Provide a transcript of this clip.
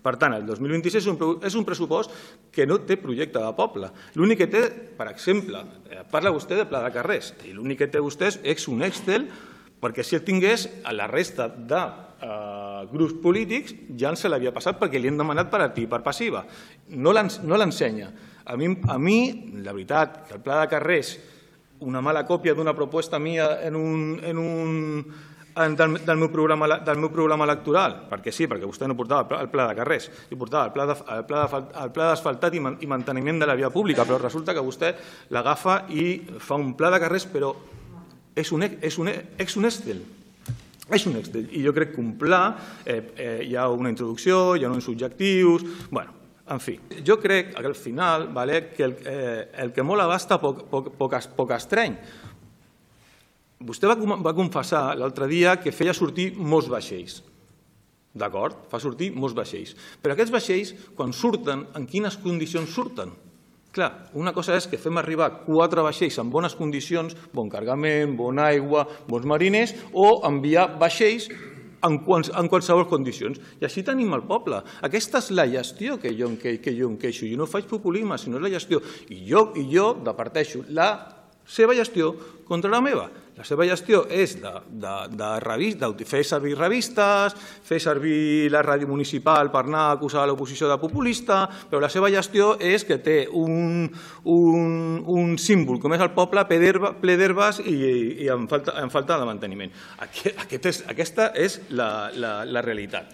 Per tant, el 2026 és un pressupost que no té projecte de poble. L'únic que té, per exemple, parla vostè de pla de carrers, i l'únic que té vostè és un Excel, perquè si el tingués, a la resta de grups polítics ja se l'havia passat perquè li han demanat per activa i per passiva. No l'ensenya. A mi, la veritat, que el pla de carrers, una mala còpia d'una proposta mia del meu programa electoral, perquè sí, perquè vostè no portava el pla de carrers, hi portava el pla d'asfaltat i manteniment de la via pública, però resulta que vostè l'agafa i fa un pla de carrers, però és un Excel. És un Excel. I jo crec que un pla, hi ha una introducció, hi ha uns objectius... Bueno, en fi, jo crec que al final que el que molt abasta poc estreny. Vostè va confessar l'altre dia que feia sortir molts vaixells. D'acord? Fa sortir molts vaixells. Però aquests vaixells, quan surten, en quines condicions surten? Clar, una cosa és que fem arribar 4 vaixells en bones condicions, bon cargament, bona aigua, bons mariners, o enviar vaixells en qualsevol condicions. I així tenim el poble. Aquesta és la gestió que jo em queixo. Jo no faig populisme, sinó la gestió. I jo departeixo la seva gestió contra la meva. La seva gestió és de fer servir revistes, fer servir la ràdio municipal per anar a acusar l'oposició de populista, però la seva gestió és que té un símbol com és el poble ple d'herbes i amb falta de manteniment. Aquesta és la realitat.